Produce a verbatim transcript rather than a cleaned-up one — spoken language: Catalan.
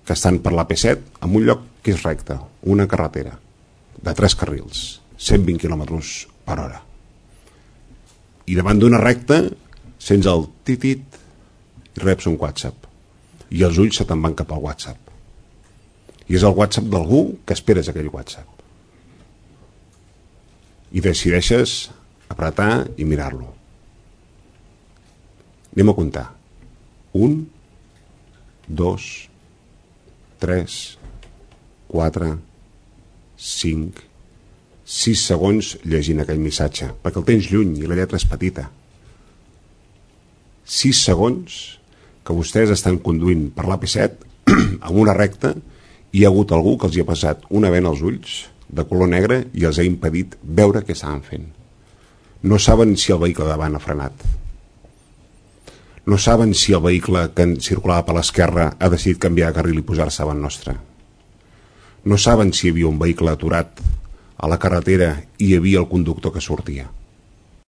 que estan per l'A P set en un lloc que és recte, una carretera de tres carrils, cent vint quilòmetres per hora, i davant d'una recta sents el titit i reps un WhatsApp i els ulls se te'n van cap al WhatsApp, i és el WhatsApp d'algú que esperes aquell WhatsApp i decideixes apretar i mirar-lo. Anem a comptar: un, dos, tres, quatre, cinc, sis segons llegint aquell missatge, perquè el tens lluny i la lletra és petita. Sis segons que vostès estan conduint per l'A P set amb una recta i hi ha hagut algú que els hi ha passat una bena als ulls de color negre i els ha impedit veure què estaven fent. No saben si el vehicle davant ha frenat. No saben si el vehicle que circulava per l'esquerra ha decidit canviar de carril i posar-se davant nostre. No saben si hi havia un vehicle aturat a la carretera i hi havia el conductor que sortia.